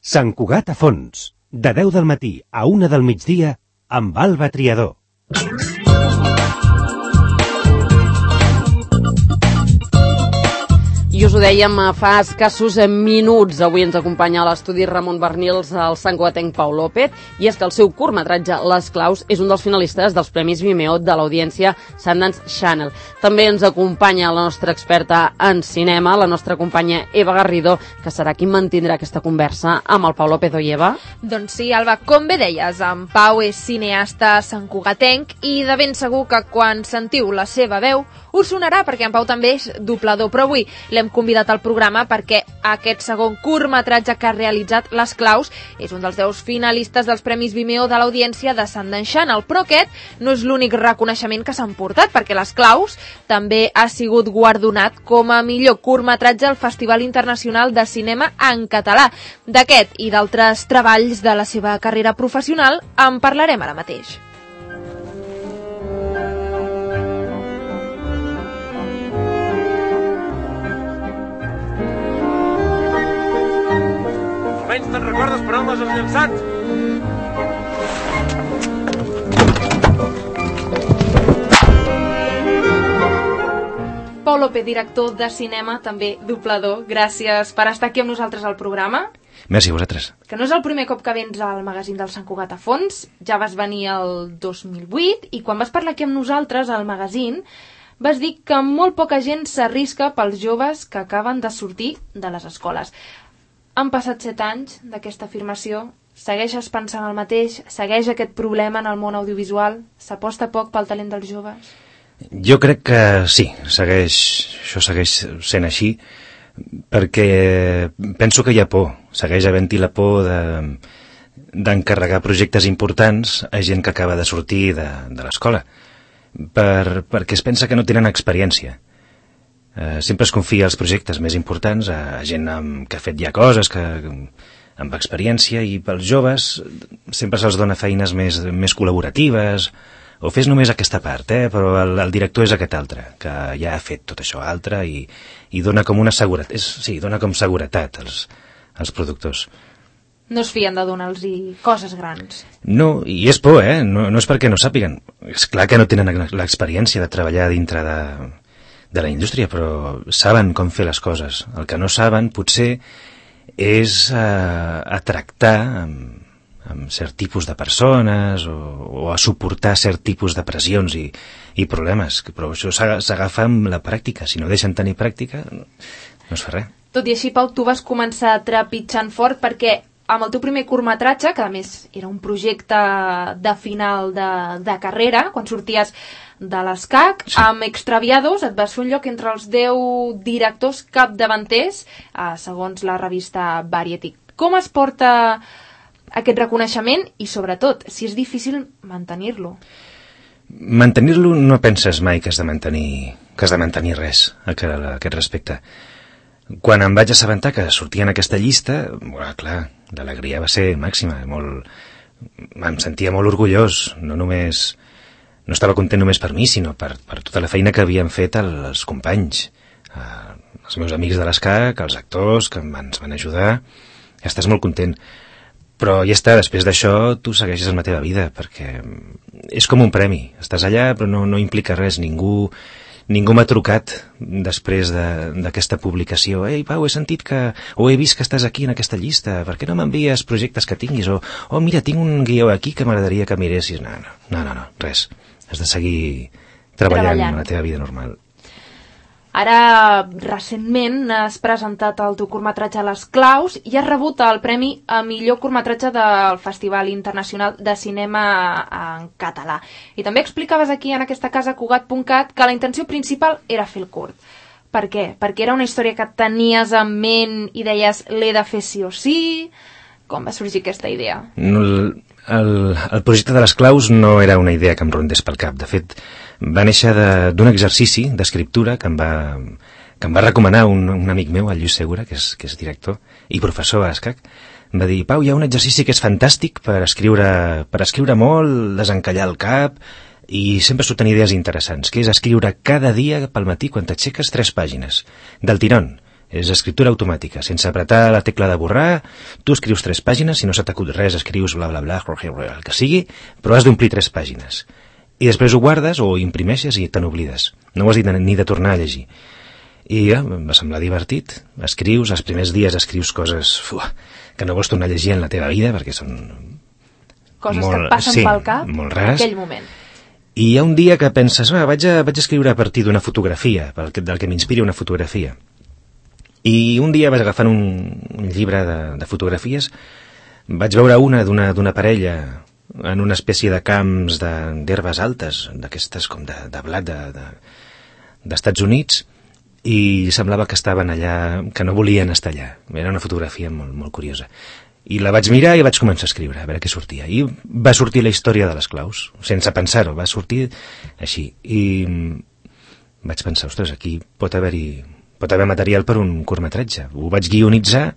Sant Cugat a fons, de 10 del matí a 1 del migdia, amb Alba Triador. I us ho dèiem fa escassos minuts. Avui ens acompanya a l'estudi Ramon Barnils, el santcugatenc Pau López, i és que el seu curtmetratge Les Claus és un dels finalistes dels Premis Vimeo de l'audiència Sundance Channel. També ens acompanya la nostra experta en cinema, la nostra companya Eva Garrido, que serà qui mantindrà aquesta conversa amb el Pau López. Oi, Eva? Doncs sí, Alba, com bé deies, en Pau és cineasta santcugatenc i de ben segur que quan sentiu la seva veu us sonarà, perquè en Pau també és doblador, però avui l'hem convidat al programa perquè aquest segon curtmetratge que ha realitzat Les Claus és un dels 10 finalistes dels Premis Vimeo de l'audiència de Sundance Channel, però aquest no és l'únic reconeixement que s'han portat, perquè Les Claus també ha sigut guardonat com a millor curtmetratge al Festival Internacional de Cinema en Català. D'aquest i d'altres treballs de la seva carrera professional en parlarem ara mateix. Almenys te'n recordes per on les has llançat? Pau López, director de cinema, també doblador, gràcies per estar aquí amb nosaltres al programa. Merci a vosaltres. Que no és el primer cop que vens al magazín del Sant Cugat a fons, ja vas venir el 2008 i quan vas parlar aquí amb nosaltres al magazín vas dir que molt poca gent s'arrisca pels joves que acaben de sortir de les escoles. Han passat 7 anys d'aquesta afirmació, segueixes pensant el mateix, segueix aquest problema en el món audiovisual, s'aposta poc pel talent dels joves? Jo crec que sí, això segueix sent així, perquè penso que hi ha por, segueix havent-hi la por d'encarregar projectes importants a gent que acaba de sortir de l'escola, perquè es pensa que no tenen experiència. Sempre es confia els projectes més importants a gent que ha fet ja coses, amb experiència, i pels joves sempre se'ls dona feines més col·laboratives, o fes només aquesta part, però el director és aquest altre, que ja ha fet tot això altre i dona com una seguretat, dona com seguretat als productors. No es fien de donar-los coses grans. No, i és por, no és perquè no sàpiguen. És clar que no tenen l'experiència de treballar dintre de la indústria, però saben com fer les coses. El que no saben, potser, és a tractar amb cert tipus de persones o a suportar cert tipus de pressions i problemes. Però això s'agafa amb la pràctica. Si no deixen tenir pràctica, no es fa res. Tot i així, Pau, tu vas començar trepitjant fort perquè amb el teu primer curtmetratge, que a més era un projecte de final de carrera, quan sorties de l'ESCAC, sí, amb Extraviados et vas fer un lloc entre els 10 directors capdavanters, segons la revista Variety. Com es porta aquest reconeixement i, sobretot, si és difícil mantenir-lo? Mantenir-lo no penses mai que has de mantenir res a aquest respecte. Quan em vaig assabentar que sortia en aquesta llista, clar, l'alegria va ser màxima. Em sentia molt orgullós, no estava content només per mi, sinó per tota la feina que havien fet els companys, els meus amics de l'ESCAC, els actors que ens van ajudar. Ja estàs molt content. Però ja està, després d'això tu segueixes amb la teva vida, perquè és com un premi. Estàs allà però no implica res, ningú m'ha trucat després d'aquesta publicació. Ei, Pau, he vist que estàs aquí en aquesta llista, per què no m'envies projectes que tinguis? O mira, tinc un guió aquí que m'agradaria que miressis. No, res. Has de seguir treballant en la teva vida normal. Ara, recentment, has presentat el teu curtmetratge Les Claus i has rebut el premi a millor curtmetratge del Festival Internacional de Cinema en Català. I també explicaves aquí en aquesta casa Cugat.cat que la intenció principal era fer el curt. Per què? Perquè era una història que tenies en ment i deies l'he de fer sí o sí? Com va sorgir aquesta idea? El projecte de Les Claus no era una idea que em rondés pel cap. De fet, va néixer d'un exercici d'escriptura que em va recomanar un amic meu, el Lluís Segura, que és director i professor a l'ESCAC. Em va dir, Pau, hi ha un exercici que és fantàstic per escriure molt, desencallar el cap, i sempre surten idees interessants, que és escriure cada dia pel matí quan t'aixeques 3 pàgines, del tirón. És escriptura automàtica, sense apretar la tecla de borrar. Tu escrius 3 pàgines, si no se t'acut res, escrius bla bla bla, el que sigui, però has d'omplir 3 pàgines. I després ho guardes o imprimeixes i te n'oblides. No ho has dit ni de tornar a llegir. I em va semblar divertit. Escrius, els primers dies escrius coses que no vols tornar a llegir en la teva vida, perquè són coses que et passen pel cap molt en rares. aquell moment. I hi ha un dia que penses, vaig a escriure a partir d'una fotografia, del que m'inspiri una fotografia. I un dia vaig agafant un llibre de fotografies, vaig veure una d'una parella en una espècie de camps d'herbes altes, d'aquestes com de blat d'Estats Units, i semblava que estaven allà, que no volien estar allà. Era una fotografia molt, molt curiosa. I la vaig mirar i vaig començar a escriure, a veure què sortia. I va sortir la història de les claus, sense pensar-ho, va sortir així. I vaig pensar, ostres, aquí pot haver material per un curtmetratge. Ho vaig guionitzar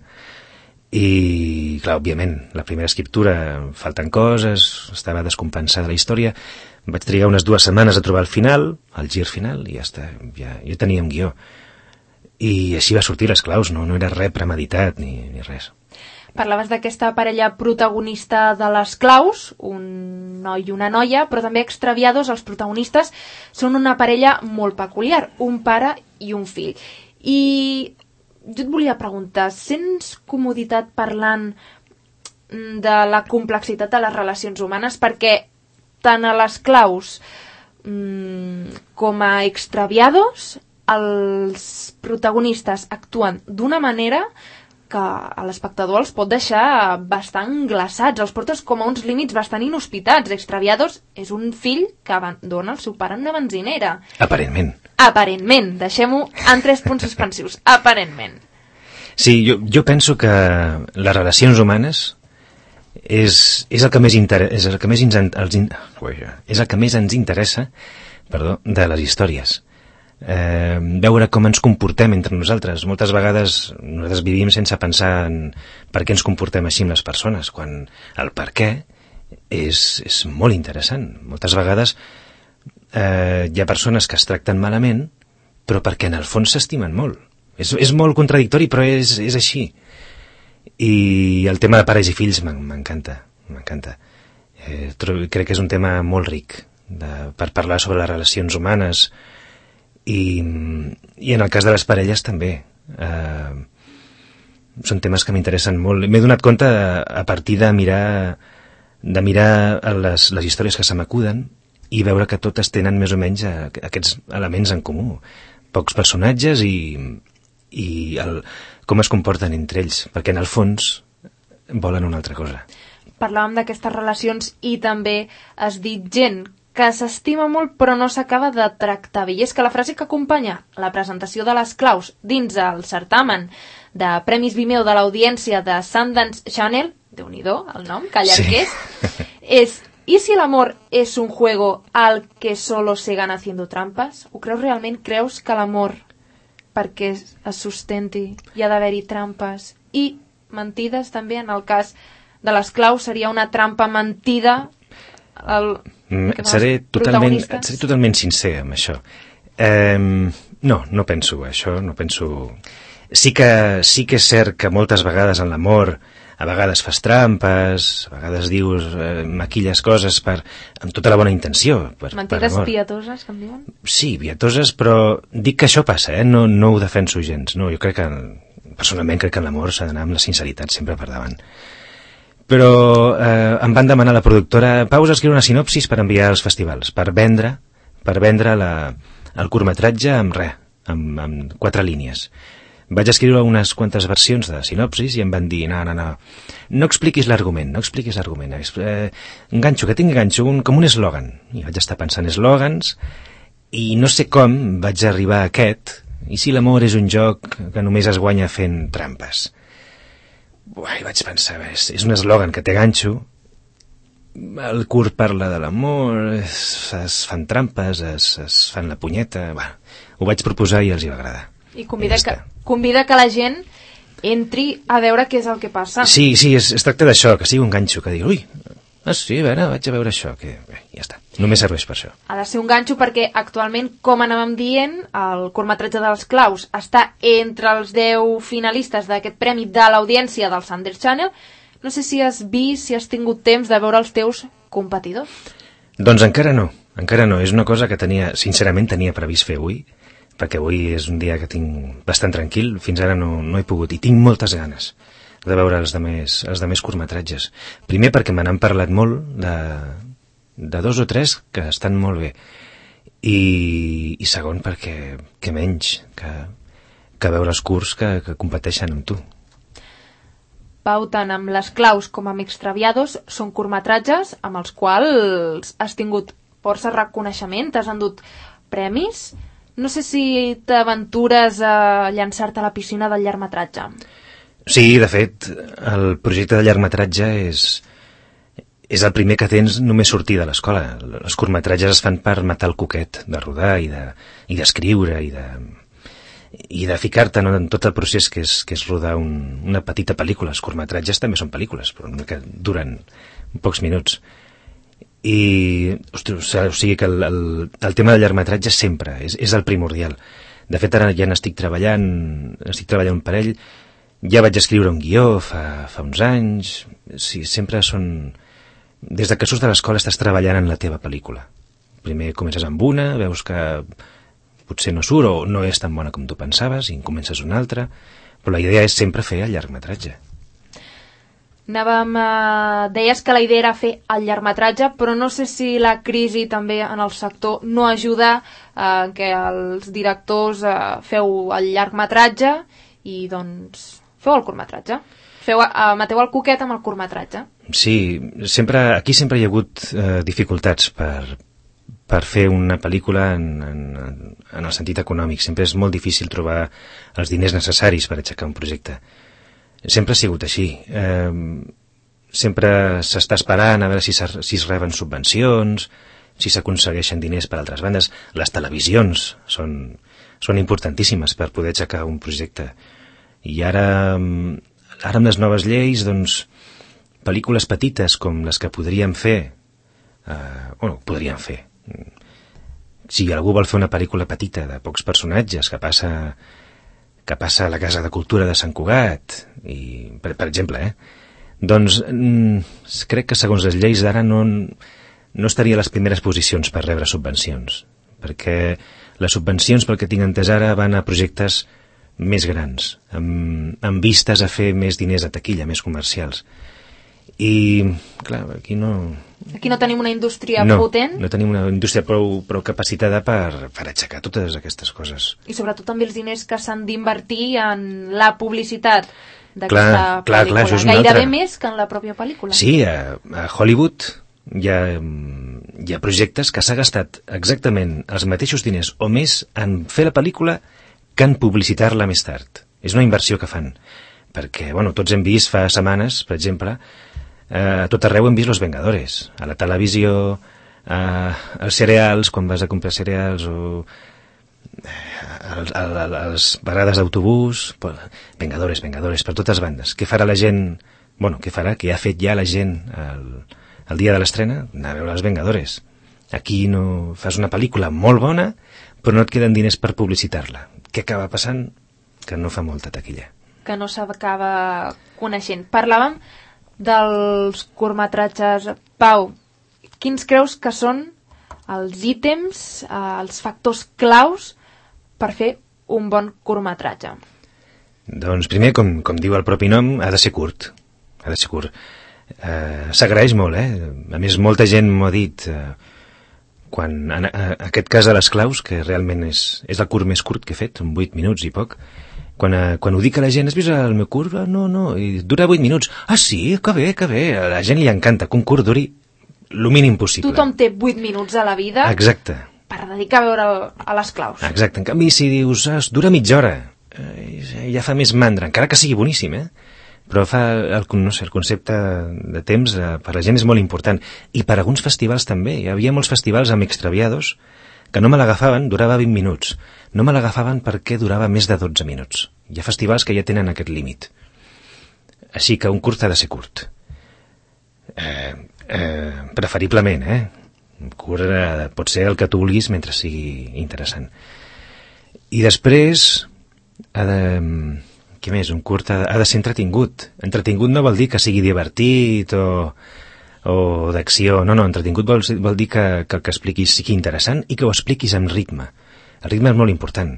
i, clar, òbviament, la primera escriptura falten coses, estava descompensada la història. Vaig trigar unes 2 setmanes a trobar el final, el gir final, i ja està, ja teníem guió. I així va sortir les claus, no era res premeditat ni res. Parlaves d'aquesta parella protagonista de les claus, un noi i una noia, però també extraviados, els protagonistes són una parella molt peculiar, un pare i un fill. I jo et volia preguntar, sents comoditat parlant de la complexitat de les relacions humanes? Perquè tant a les claus com a extraviados, els protagonistes actuen d'una manera que a l'espectador els pot deixar bastant glaçats, els portes com a uns límits bastant inhospitats. Extraviados és un fill que abandona el seu pare en una benzinera. Aparentment, deixem-ho en 3 punts suspensius. Aparentment. Sí, jo penso que les relacions humanes és el que més ens interessa, de les històries. Veure com ens comportem entre nosaltres. Moltes vegades nosaltres vivim sense pensar en per què ens comportem així amb les persones, quan el per què és molt interessant. Moltes vegades hi ha persones que es tracten malament, però perquè en el fons s'estimen molt. És molt contradictori, però és així. I el tema de pares i fills m'encanta. Crec que és un tema molt ric per parlar sobre les relacions humanes. I en el cas de les parelles també. Són temes que m'interessen molt. M'he donat compte a partir de mirar les històries que se m'acuden i veure que totes tenen més o menys aquests elements en comú. Pocs personatges i com es comporten entre ells, perquè en el fons volen una altra cosa. Parlàvem d'aquestes relacions i també has dit gent que s'estima molt però no s'acaba de tractar bé. I és que la frase que acompanya la presentació de les claus dins el certamen de Premis Vimeo de l'audiència de Sundance Channel, Déu-n'hi-do el nom, que allargués, és ¿y si el amor es un juego al que solo se gana haciendo trampas? Ho creus realment? Creus que l'amor, perquè es sustenti, hi ha d'haver-hi trampes i mentides també? En el cas de les claus seria una trampa mentida? Seré totalment sincer amb això. No penso això, no penso... Sí que és cert que moltes vegades en l'amor a vegades fas trampes, a vegades dius, maquilles coses amb tota la bona intenció. Mentides pietoses, que em diuen? Sí, pietoses, però dic que això passa, no ho defenso gens. No, jo crec que, personalment, crec que en l'amor s'ha d'anar amb la sinceritat sempre per davant. Però em van demanar la productora, Pau, escriure una sinopsis per enviar als festivals, per vendre el curtmetratge amb 4 línies. Vaig escriure unes quantes versions de sinopsis i em van dir, no expliquis l'argument, enganxo, que tingui ganxo, com un eslògan. I vaig estar pensant eslògans i no sé com vaig arribar a aquest, i si l'amor és un joc que només es guanya fent trampes. I vaig pensar, és un eslògan que té ganxo, el curt parla de l'amor, es fan trampes, es fan la punyeta... Ho vaig proposar i els hi va agradar. I convida que la gent entri a veure què és el que passa. Sí, es tracta d'això, que sigui un ganxo, que digui, ui, sí, a veure, vaig a veure això, que bé, ja està. Només serveix per això. Ha de ser un ganxo perquè actualment, com anàvem dient, el curtmetratge dels Claus està entre els 10 finalistes d'aquest premi de l'audiència del Sundance Channel. No sé si has vist, si has tingut temps de veure els teus competidors. Doncs encara no. És una cosa que sincerament tenia previst fer avui, perquè avui és un dia que tinc bastant tranquil, fins ara no he pogut, i tinc moltes ganes de veure els demés curtmetratges. Primer perquè me n'han parlat molt de 2 o 3 que estan molt bé, i segon perquè que menys que veure els curts que competeixen amb tu. Pau, tant amb les Claus com amb Extraviados són curtmetratges amb els quals has tingut força reconeixement, t'has endut premis. No sé si t'aventures a llançar-te a la piscina del llargmetratge. Sí, de fet, el projecte de llargmetratge és el primer que tens només sortir de l'escola. Els curtmetratges es fan per matar el coquet de rodar i d'escriure i de ficar-te en tot el procés que és rodar una petita pel·lícula. Els curtmetratges també són pel·lícules, però que duren pocs minuts. O sigui que el tema del llargmetratge sempre és el primordial. De fet, ara ja n'estic treballant un parell. Ja vaig escriure un guió fa uns anys. Sí, sempre són... Des que surts de l'escola estàs treballant en la teva pel·lícula. Primer comences amb una, veus que potser no surt o no és tan bona com tu pensaves, i en comences una altra, però la idea és sempre fer el llargmetratge. Deies que la idea era fer el llargmetratge, però no sé si la crisi també en el sector no ajuda que els directors feu el llargmetratge i doncs feu el curtmetratge. Mateu el coquet amb el curtmetratge. Sí, aquí sempre hi ha hagut dificultats per fer una pel·lícula en el sentit econòmic. Sempre és molt difícil trobar els diners necessaris per aixecar un projecte. Sempre ha sigut així. Sempre s'està esperant a veure si es reben subvencions, si s'aconsegueixen diners per altres bandes. Les televisions són importantíssimes per poder aixecar un projecte. I ara amb les noves lleis, doncs, pel·lícules petites com les que podríem fer, si algú vol fer una pel·lícula petita de pocs personatges que passa a la Casa de Cultura de Sant Cugat, per exemple, doncs crec que segons les lleis d'ara no estaria a les primeres posicions per rebre subvencions, perquè les subvencions, pel que tinc entès ara, van a projectes més grans, amb vistes a fer més diners a taquilla, més comercials. I, clar, aquí no tenim una indústria potent. No tenim una indústria prou capacitada per aixecar totes aquestes coses. I sobretot també els diners que s'han d'invertir en la publicitat d'aquesta pel·lícula. Això és gairebé més que en la pròpia pel·lícula. Sí, a Hollywood hi ha projectes que s'ha gastat exactament els mateixos diners o més en fer la pel·lícula que en publicitar-la més tard. És una inversió que fan. Perquè, tots hem vist fa setmanes, per exemple, a tot arreu hem vist Los Vengadores. A la televisió, als cereals, quan vas a comprar cereals, o a les parades d'autobús. Vengadores, per totes bandes. Què farà la gent? Què ha fet ja la gent el dia de l'estrena? Anar a veure Els Vengadores. Aquí no fas una pel·lícula molt bona, però no et queden diners per publicitar-la. Què acaba passant? Que no fa molta taquilla. Que no s'acaba coneixent. Parlàvem dels curtmetratges. Pau, quins creus que són els ítems, els factors claus per fer un bon curtmetratge? Doncs primer, com diu el propi nom, ha de ser curt. S'agraeix molt, A més, molta gent m'ho ha dit, quan en aquest cas de les Claus, que realment és el curt més curt que he fet, són 8 minuts i poc. Quan ho dic a la gent, has vist el meu curt? No, i dura 8 minuts. Ah, sí? Que bé. A la gent li encanta que un curt duri el mínim possible. Tothom té 8 minuts a la vida. Exacte. Per dedicar a veure a les Claus. Exacte. En canvi, si dius, dura mitja hora, ja fa més mandra, encara que sigui boníssim, Però el concepte de temps per la gent és molt important. I per alguns festivals també. Hi havia molts festivals amb Extraviados que no me l'agafaven, durava 20 minuts. No me l'agafaven perquè durava més de 12 minuts. Hi ha festivals que ja tenen aquest límit. Així que un curt ha de ser curt. Preferiblement, Curt pot ser el que tu vulguis mentre sigui interessant. I després què més? Un curt ha de ser entretingut. Entretingut no vol dir que sigui divertit o d'acció. No, entretingut vol dir que el que expliquis sigui interessant i que ho expliquis amb ritme. El ritme és molt important.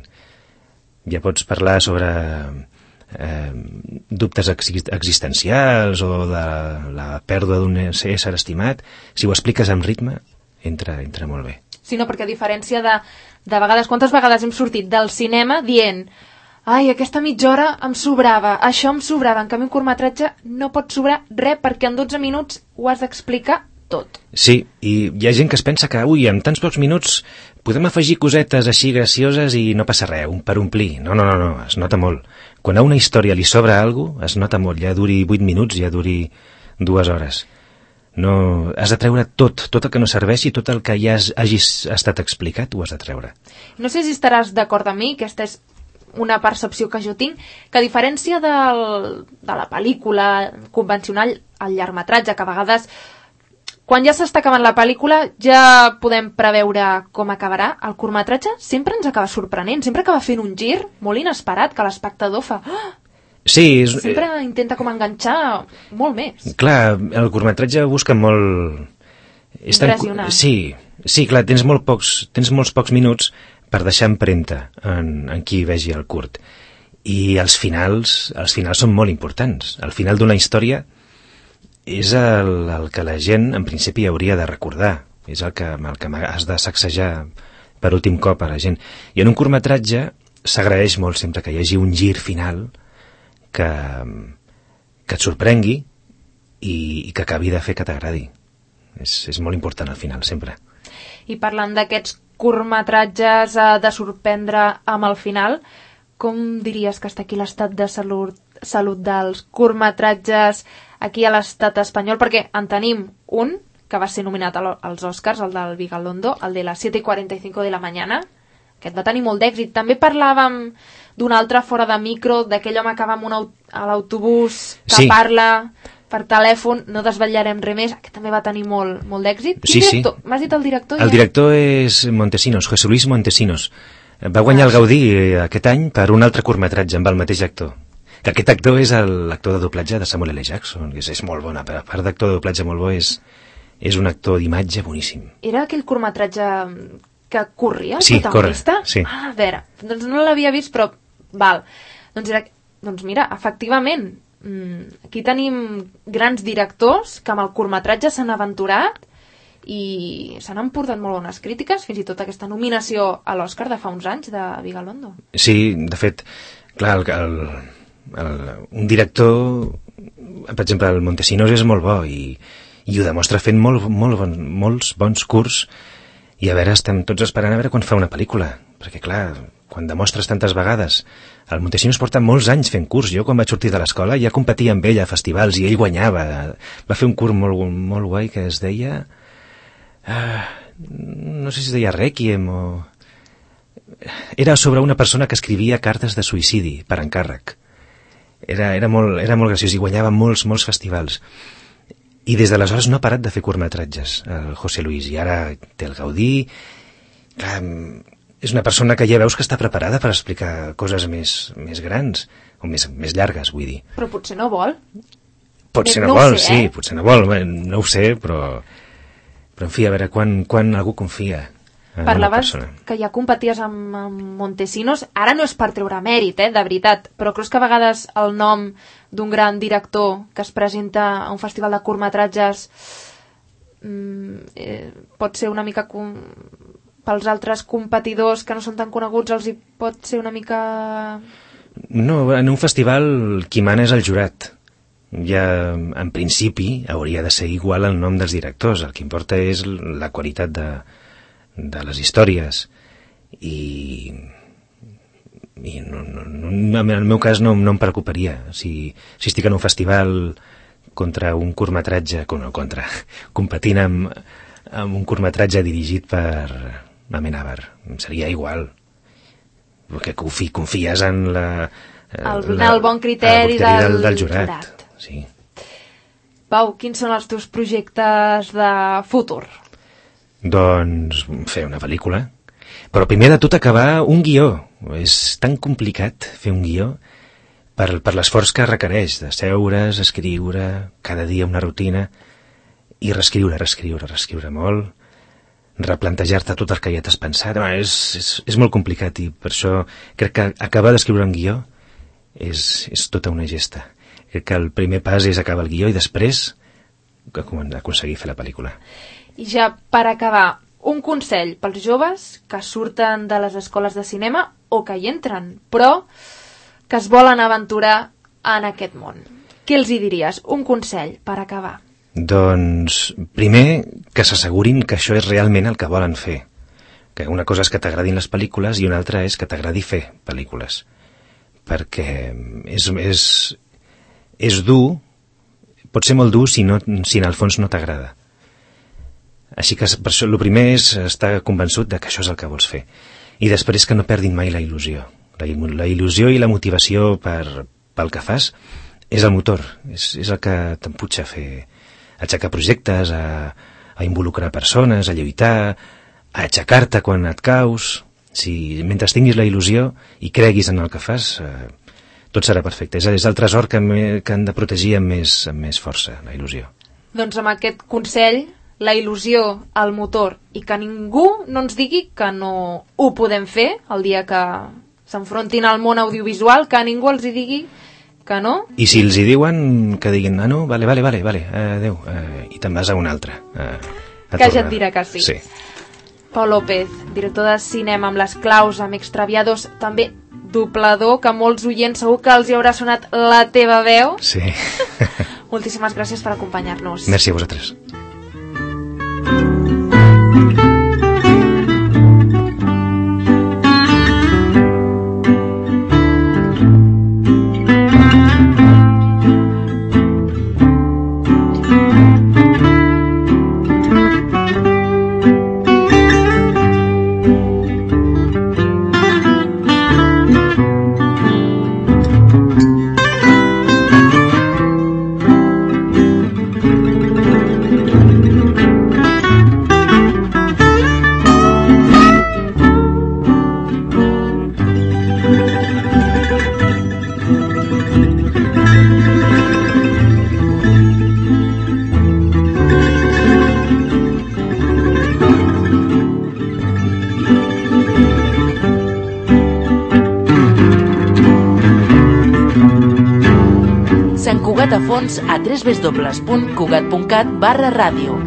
Ja pots parlar sobre dubtes existencials o de la pèrdua d'un ésser estimat. Si ho expliques amb ritme, entra molt bé. Sí, no, perquè a diferència de vegades, quantes vegades hem sortit del cinema dient ai, aquesta mitja hora em sobrava, això em sobrava, en canvi un curtmetratge no pot sobrar res perquè en 12 minuts ho has d'explicar tot. Sí, i hi ha gent que es pensa que en tants pocs minuts podem afegir cosetes així gracioses i no passa res, per omplir. No, es nota molt. Quan a una història li sobra alguna cosa, es nota molt, ja duri 8 minuts, ja duri 2 hores. No, has de treure tot el que no serveixi, tot el que ja hagis estat explicat, ho has de treure. No sé si estaràs d'acord amb mi, aquesta és una percepció que jo tinc, que a diferència de la pel·lícula convencional, el llargmetratge, que a vegades quan ja s'està acabant la pel·lícula ja podem preveure com acabarà, el curtmetratge sempre ens acaba sorprenent, sempre acaba fent un gir molt inesperat, que l'espectador fa sí, sempre intenta com enganxar molt més. Clar, el curtmetratge busca molt impressionant. Sí, clar, tens molts pocs minuts per deixar empremta en qui vegi el curt. I els finals són molt importants. El final d'una història és el que la gent, en principi, hauria de recordar. És el que has de sacsejar per últim cop a la gent. I en un curtmetratge s'agraeix molt sempre que hi hagi un gir final que et sorprengui i que acabi de fer que t'agradi. És molt important al final, sempre. I parlant d'aquests curtmetratges de sorprendre amb el final, com diries que està aquí l'estat de salut dels curtmetratges aquí a l'estat espanyol? Perquè en tenim un que va ser nominat als Oscars, el del Vigalondo, el de las 7:45 de la mañana. Aquest va tenir molt d'èxit. També parlàvem d'un altre fora de micro, d'aquell home que va a l'autobús, que parla per telèfon, no desvetllarem res més. Aquest també va tenir molt d'èxit. Sí. M'has dit el director? El director és Montesinos, José Luis Montesinos. Va guanyar el Gaudí aquest any per un altre curtmetratge amb el mateix actor. Que aquest actor és l'actor de doblatge de Samuel L. Jackson, que és molt bona, a part d'actor de doblatge molt bo, és un actor d'imatge boníssim. Era aquell curtmetratge que corria, el sí, protagonista? Sí. A veure, doncs no l'havia vist, però val. Doncs mira, efectivament, aquí tenim grans directors que amb el curtmetratge s'han aventurat i s'han emportat molt bones crítiques, fins i tot aquesta nominació a l'Oscar de fa uns anys de Vigalondo. Sí, de fet, clar, un director, per exemple, el Montesinos és molt bo i ho demostra fent molts bons curts. I a veure, estem tots esperant a veure quan fa una pel·lícula, perquè clar, quan demostres tantes vegades, el Montesinos porta molts anys fent curts. Jo quan vaig sortir de l'escola ja competia amb ell a festivals i ell guanyava. Va fer un curt molt guai que es deia no sé si es deia Requiem o... Era sobre una persona que escrivia cartes de suïcidi per encàrrec. Era molt graciós i guanyava molts festivals. I des d'aleshores no ha parat de fer curtmetratges, el José Luis, i ara té el Gaudí. Clar, és una persona que ja veus que està preparada per explicar coses més grans, o més llargues, vull dir. Però potser no vol. Potser no vol, sí, potser no vol, no ho sé, però en fi, a veure, quan algú confia en una persona. Parlaves que ja competies amb Montesinos, ara no és per treure mèrit, de veritat, però creus que a vegades el nom d'un gran director que es presenta a un festival de curtmetratges pot ser una mica pels altres competidors que no són tan coneguts els hi pot ser una mica... No, en un festival qui mana és el jurat. Ja en principi hauria de ser igual el nom dels directors, el que importa és la qualitat de les històries i en el meu cas no em preocuparia si estic en un festival contra un curtmetratge competint amb un curtmetratge dirigit per Amenábar, seria igual, perquè confies en el bon criteri del jurat. Sí. Pau, quins són els teus projectes de futur? Doncs fer una pel·lícula. Però primer de tot acabar un guió. És tan complicat fer un guió per l'esforç que requereix de seure's, escriure, cada dia una rutina, i reescriure molt, replantejar-te tot el que ja t'has pensat. És molt complicat i per això crec que acabar d'escriure un guió és tota una gesta. Crec que el primer pas és acabar el guió i després aconseguir fer la pel·lícula. I ja per acabar, un consell pels joves que surten de les escoles de cinema o que hi entren, però que es volen aventurar en aquest món. Què els hi diries? Un consell per acabar. Doncs, primer, que s'assegurin que això és realment el que volen fer. Que una cosa és que t'agradin les pel·lícules i una altra és que t'agradi fer pel·lícules. Perquè és dur, pot ser molt dur si en el fons no t'agrada. Així que per això el primer és estar convençut de que això és el que vols fer. I després que no perdin mai la il·lusió. La il·lusió i la motivació pel que fas és el motor, és el que t'emputxa a fer, a aixecar projectes, a involucrar persones, a lluitar, a aixecar-te quan et caus. Si mentre tinguis la il·lusió i creguis en el que fas, tot serà perfecte. És el tresor que han de protegir amb més força, la il·lusió. Doncs amb aquest consell, la il·lusió, el motor, i que ningú no ens digui que no ho podem fer el dia que s'enfrontin al món audiovisual, que ningú els hi digui que no. I si els hi diuen, que diguin, no, vale, adeu, i te'n vas a un altre. Que ja et dirà que sí. Sí. Pau López, director de cinema amb Les claus, amb Extraviados, també doblador, que molts oients segur que els hi haurà sonat la teva veu. Sí. Moltíssimes gràcies per acompanyar-nos. Merci a vosaltres. Sant Cugat a fons a www.cugat.cat/ràdio.